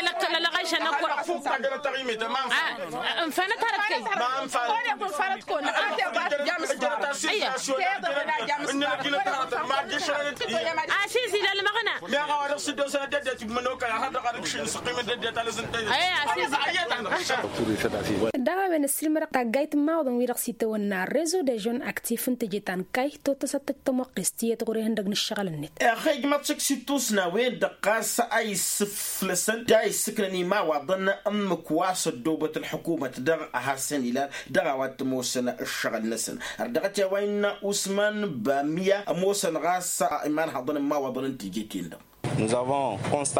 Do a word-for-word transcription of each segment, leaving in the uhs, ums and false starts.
Ălăqqăl ălɣăyšăn ăkk. Ǝnfanăt hărăt kăy. Asizi la ălmăɣna. Dăɣ-a-wen ăssiilmădăɣ taggayt n-imawaḍăn wi-dăɣ s-itawănna rezo de žon aktif n-teje ta n-kayy tottăsăt-t tămoqqest tiyyăt ɣur-e ihăndăg n-ǝššăɣǝl-net. Ixăyj măḍsăk s-ittusna-wen-dăɣ ɣas a issǝflăsăn d-a issǝknăn imawaḍăn ǝmmǝk wa s-ăddoobăt ălḥukumăt dăɣ-a hasăn-ilan dăɣ-a-wa t-ămoosăn ǝššăɣǝl-năsăn. Ărdăɣăt i-a-wa innă usman bamiya ămoosăn ɣas imanhaḍăn n-imawaḍăn n-teje-ten-dăɣ.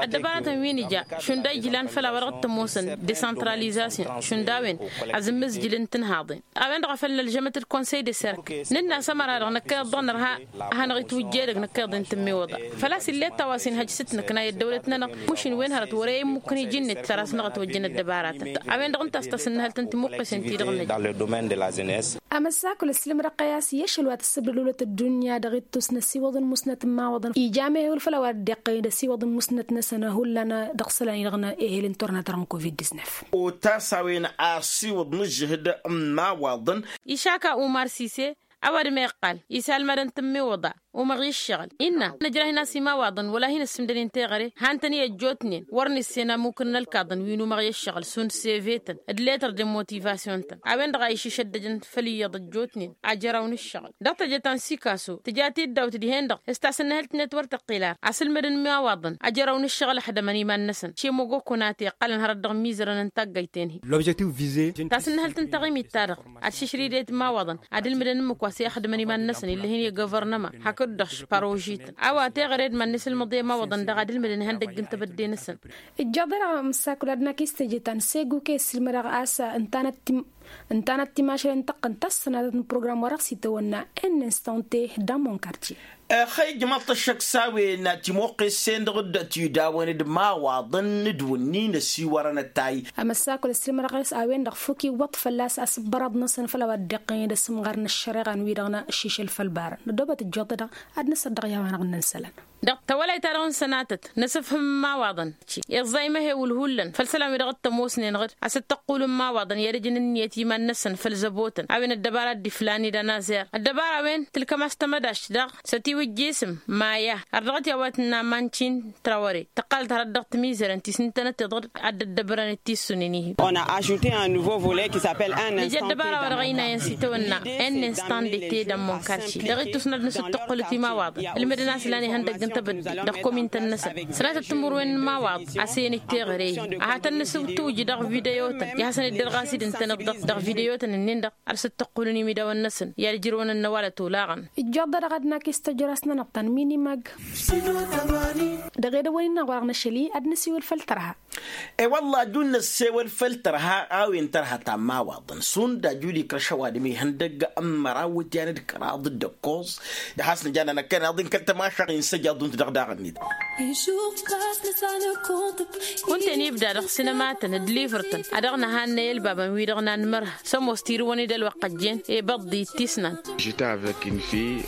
Ăddăbaratăn wi n-ija šund a ijlan făll-a-wa dăɣ-t-ămoosăn desăntralizasyon šund a-wen azǝmmǝzjǝl n-tinhaḍen a-wen-dăɣ a făl nălžămăt d-konsăy de serk. Nǝnn'-as ămăra-dăɣ năkkăyăḍ dăɣ-nărha ad-hanăɣ-itwǝjjed dăgg-năkkăyăḍ i n-tǝmmiwǝḍa. Făl-a-s ill'-e ăttăwasăn hăj s-ǝtnǝkna i-ăddăwlăt-nănăɣ mušin wen hărăt wăr-e immukăn iji-net săr-a-s năɣ-ătwăjjăn ăddăbaratăn. A-wen-dăɣ ǝnta a-s tasǝnnǝhălt n-timuqqisen-ti-dăɣ n-ija. Amăsakul ăssilmădăɣ-kăy a-s i-ašăl wa tǝssǝbdăd hulăt ăddunya dăɣ-ittus n-ăsiwăḍ n-musnăt n-imawaḍăn ija amehewǝl făll-a-wa dd-iqqăyăn d-ăsiwăḍ n-musnăt-năsăn hullan dăɣ-isălan-i-dăɣ n-ehel n-turna ta dăɣ-n covid-disnef. Otas a-wen a ăsiwăḍ n-ǝžžǝhǝd n-imawaḍăn. Išaka umar sise ăwadǝm a iqqal isalmadăn tǝmmiwǝḍa umăɣ i-ǝššăɣǝl innă nǝjrah-in a-s imawaḍăn wăla hin-ăssǝmdănen teɣăre han-tăn-i ăjjootnen wăr nǝssen amukǝn n-ălkaḍăn wi n-umăɣ i-ǝššăɣǝl šund sevetăn d-letăr de motivasyon-tăn a-wen-dăɣ a išǝšăddăjăn făll-iyyăḍ ăjjootnen ajăraw n-ǝššăɣǝl dăɣ-teje ta n-sikaso tǝja tiddawt dihen-dăɣ s-tasǝnnǝhǝlt-net wăr tăqqel ar asǝlmădăn imawaḍăn ajăraw n-ǝššăɣǝl ăxdămăn iman-năsăn šemăgokko n-a teqqălăn hărăt dăɣ-imizărăn n-taggăyt-en-hi. L'objectif vize tasǝnnǝhǝlt n-taɣimit-ta-dăɣ ad-šǝšrǝydet imawaḍăn ad-ǝlmǝdăn ǝmmǝk wa s-e-ăxdǝmăn iman-năsăn illăh-in i-guvărnăma hakd-dăɣ parožităn a-wa teɣăre d-iman-năsǝlmăḍ i-imawaḍăn daɣ ad-ǝlmǝdăn ihăndăgg n-tebădde-năsăn. Ǝjjeḍ-e-dăɣ amǝssakul ad-năkk i-s teje ta n-segu kăy-ăssilmădăɣ a-s ǝntanăt timašalen tăqqăn tassănatăt n-program wa dăɣ-s itawănna n-instante dăɣ-monkartye. Ăxăyjămăḍ-t ăššăk s-a-wen timuqqes-en-dăɣ dd-tidawăn d-imawaḍăn n-ad-wǝnnin ăsiwărăn ătay. Amăssakul ăssilmădăɣ a-s a-wen-dăɣ fuk iwwăḍ fălla-s asǝbbăraḍ-năsăn făll-a-wa dd-iqqăyăn d-asǝmɣar n-ăššăreɣa n-wi-dăɣ n-ašišăl făll-ibarăn ăddoobăt ǝjjoḍ-e-dăɣ ad-nǝsăddăɣ i-a-wa-dăɣ n-inǝsălan. Dăɣ-tawălayt-ta-dăɣ n-sănatăt n-asǝfhǝm n-imawaḍăn. Iẓẓa imăhewǝl hullan făll-isălan-wi-dăɣ t-ămoosnen ɣǝd a-s dd-tăqqul n-imawaḍăn i-ad-ǝjǝn ǝnniyăt iman-năsăn făll-zăbotăn a-wen ăddăbara dd-iflan ed anazer ăddăbara-wen tǝlkăm-as tămădašt daɣ s-ătiwǝjjisǝm. Maya ar dăɣ-t i-a-wa tǝnna mancin trawăre tăqqalăt hărăt dăɣ-timizărăn ti s-ǝntănăt tiḍăr ad-dd-ăddăbărăn d-tissunen ihi. Nǝja ăddăbara-wa-dăɣ ăynayăn s-itawănna n-instant de te d-ămmunkarši dăɣ-ittus n-ad-nǝsǝttăqqǝlăt imawaḍăn ǝlmǝdăn a-s lan ihăndăgg n-tebădde dăɣ-komintăn-năsăn sănatăt timǝrwen n-imawaḍ a-s e-nǝjj teɣăre-hi. Ad-hat-ănnăsǝwtǝwǝj dăɣ-videyotăn i-ad-hasăn-dd-ărɣas-dd ǝntăneḍ dăɣ-videyotăn-ǝnnin-dăɣ ad-sǝttăqqulăn imidawăn-năsăn i-ad-ǝjrăwăn ănnăwalăt olaɣăn. Ǝjjoḍ-dăɣ ad-nakis tăjrast-nănăɣ ta n-minimag. Dăɣ-edăwăl-in-dăɣ wa-dăɣ n-ašăl-i ad-năsiwǝl făll-tărha. E-wălla aju n-năssewăl făll-tărha a-wen tărha ta n-imawaḍăn šund aju d-ikrăš ăwadǝm ihăndăgg n-măraw tiyan d-kăraḍ d-ăkkoẓ. D-has-nǝja nănăkkăneḍ-in kăl-tămašăɣ insăjjaḍ-unt dăɣ-daɣ-net. Kunta ănibda dăɣ-sinămatăn d-livăr-tăn a dăɣ-năhannăy ălbabăn-wi-dăɣ n-anmărha s-ămoos tirǝwăn-dd ălwăqq ăjjeen i-băḍḍi d-tisnant.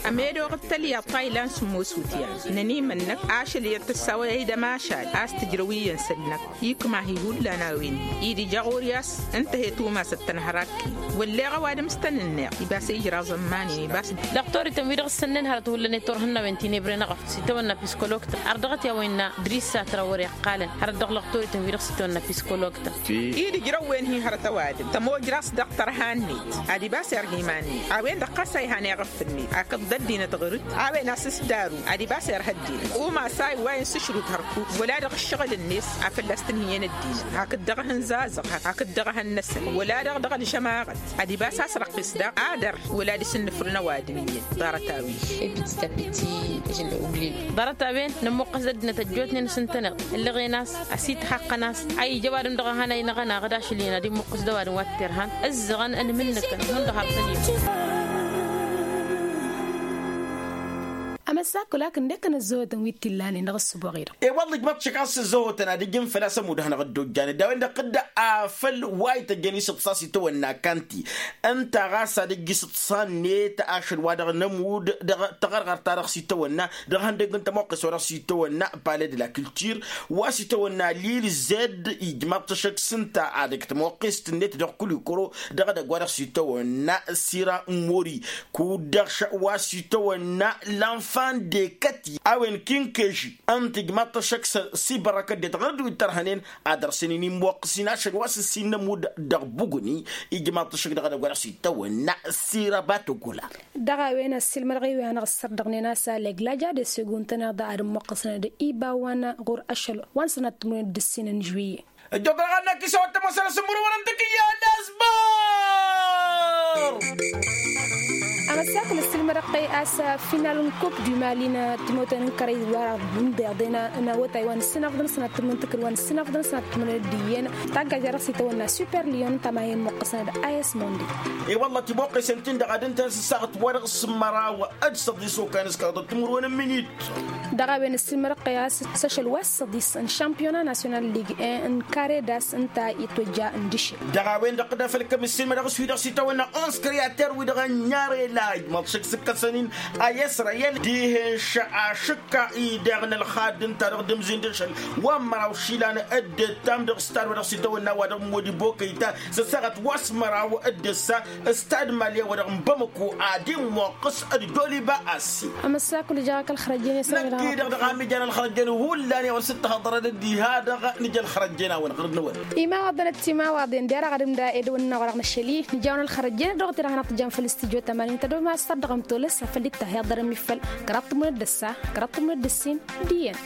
Ămedoɣ d-tălyaḍt ta ilan s-ămoos utyan. Nănimănnăk ašăl i-ad-tǝssawăy aydăm ašal a-s tǝjrăw iyyăn săl-năk ikma-hi hullan a-wen-i d-ija ɣur-i a-s ǝnta he-tumasăt tănhărakken. Wălleɣ ăwadǝm s-tăn-ǝnneɣ ibas ijraẓ ămmanen ibas. Dăɣ-torităn-wi-dăɣ s-sănnen hărăt hullan i-turhǝnnawen ti n-ebre n-eɣăf s-itawănna piskoloktăn har dăɣ-t i-a-wa innă drissa trawăre ǝqqalăn hărăt dăɣ-lăɣtorităn-wi-dăɣ s-itawănna piskoloktăn. I-dd-ijrăwwen-hi hărăt ăwadǝm tămojraẓ dăɣ-tărha-net ad-ibas erha iman-net a-wen-dăɣ ɣas a ihan eɣăf-net hakd ăddinăt ɣur-dd a-wen a-s s-daru ad-ibas erha ăddinăt umas a iwwayăn s-ašrut hărkuk wăla dăɣ-ǝššăɣǝl-net a fălla-s tǝnhǝyăn ăddinăt hakd dăɣ-ehăn zazăɣ hakd dăɣ-ehăn năsăn wăla-dăɣ dăɣ-ălžămaɣăt ad-ibas a-s răqqis daɣ adăr wăla d-isǝnnǝfrǝn ăwadǝm iyyăn. Ḍarăt-a-wi ḍarăt-a-wen nămmuqqăs d-ăddinăt ăjjootnen s-ǝntăneḍ ǝllăɣen-as ăsithaqqăn-as a ija ăwadǝm dăɣ-ehăn a inăɣ-ănaɣ d-ašăl-in ad-immuqqǝs d-ăwadǝm wa t-irhan ǝzzăɣăn ănmǝnnǝkăn hundăɣ har tăn-iyyăn. Amăssakul akǝnde-kăn ăzzăhotăn wi t-illanen dăɣ-ǝssǝboɣ-i-dăɣ. E-wălla ijmăḍ-t šăkk a-s ăzzăhotăn ad-ǝjǝn făl-a-s ămudd-hanăɣ dd-ojjanăt d-a-wen-dăɣ tǝdda afăl wa ităjjăn isǝḍsa s-itawănna kanti ǝnta ɣas ad-ǝjj isǝḍsa-net ašăl wa dăɣ-nămudd dăɣ-taɣărɣărt-ta-dăɣ s-itawănna dăɣ-ihăndăgg n-tămoqqes wa dăɣ-s itawănna pale de la culture wa s-itawănna lil zed ijmăḍ-t šăkk s-ǝnta ad-ǝjj tămoqqest-net dăɣ-kulikoro dăɣ-edăgg wa dăɣ-s itawănna sira mori kud-dăɣ wa s-itawănna lanfan dekăti a-wen kinkeži ǝnta ijmăḍ-t šăkk s-ibărrăkăt de-dăɣ n-dd-wi t-ărhănen ad-ărsănen immoqqǝs-in ašăl wa s-ǝssin n-ămudd dăɣ-buguni. Ijmăḍ-t šăkk dăɣ-edăgg wa dăɣ-s itawănna sira batogula. Dăɣ-a-wen ăssiilmădăɣ-i wi hanăɣ-ǝssărdăɣnen a-s alleg laja de seguntăneḍ ad-ămmuqqǝsnăd iba wa n-ɣur-ašăl wa n-sănat timǝrwen d-ǝssin n-žuiye. Ăjjoḍăɣ ad-năkk isăwăt tămoosăn asǝmmǝrǝwăn n-takǝyya d-asbăr. Amăssakǝl ăssiilmădăɣ-t a-s final n-coupe du mali n-timotăn n-kărăy wa dăɣ-dd-indeḍen n-awătay wa n-ǝssinăfḍăn sănat timǝrwen n-tikǝl wa n-ǝssinăfḍăn sănat timǝrwen d-iyyăn. Taggajt-a-dăɣ s-itawănna super lion n-tamayen muqqǝsnăd a-s mondi. I-wălla timoqqesen-t-in-dăɣ ad-ǝntăn s-ăssaɣăt wa dăɣ-s măraw d-săḍis okan s-kaḍăt timǝrwen n-minit. Dăɣ-a-wen ǝssilmădăɣ-t a-s s-ašăl wa s-săḍis n-šampiyona nasyonal ligue un n-kare d-a-s ǝnta itwăjja n-diše. Dăɣ-a-wen-dăɣ d-afăl kămm-ǝssilmădăɣ s-wi-dăɣ s-itawănna onze creater wi-dăɣ ănn i-arelaj măḍšăk s-ǝkkăsăn-in a i-israyel dihen šăɣ ašǝkka-i daɣ n-ălxadd ǝnta-dăɣ d-ǝmzin d-ašăl wa n-măraw išilan. Dd-ǝttam dăɣ-stad wa dăɣ-s itawănna wa dăɣ-modi bokăyta s-ăssaɣăt wa s-măraw d-ǝssa. Stad mali wa dăɣ-n bamăko ad-immoqqǝs d-doliba a-s. Amăssakul ija ɣak ălxărăjjăn i-sămăra năkk-i-dăɣ dăɣ-a mǝjăn ălxărăjjăn hullan i-a-wăn s-dd-tăhăḍărăn d-iha-dăɣ. Nǝja ălxărăjjăn-a-wăn ɣǝr-năwăn. Imawaḍăn d-timawaḍen d-era ɣad ǝmda edăwănna wa dăɣ-năšăl-i nǝja-wăn ălxărăjjăn dăɣ-t-i dăɣ-hanăɣ-tǝjjam făll-s tǝjjo tămanin tădoma s-tărdăɣăm tolăs afăl dd-tahyaḍărăm ifăl. Kăraḍ tǝmmunăt d-ăssa kăraḍ tǝmmunăt d-ǝssin. D-iyyăn.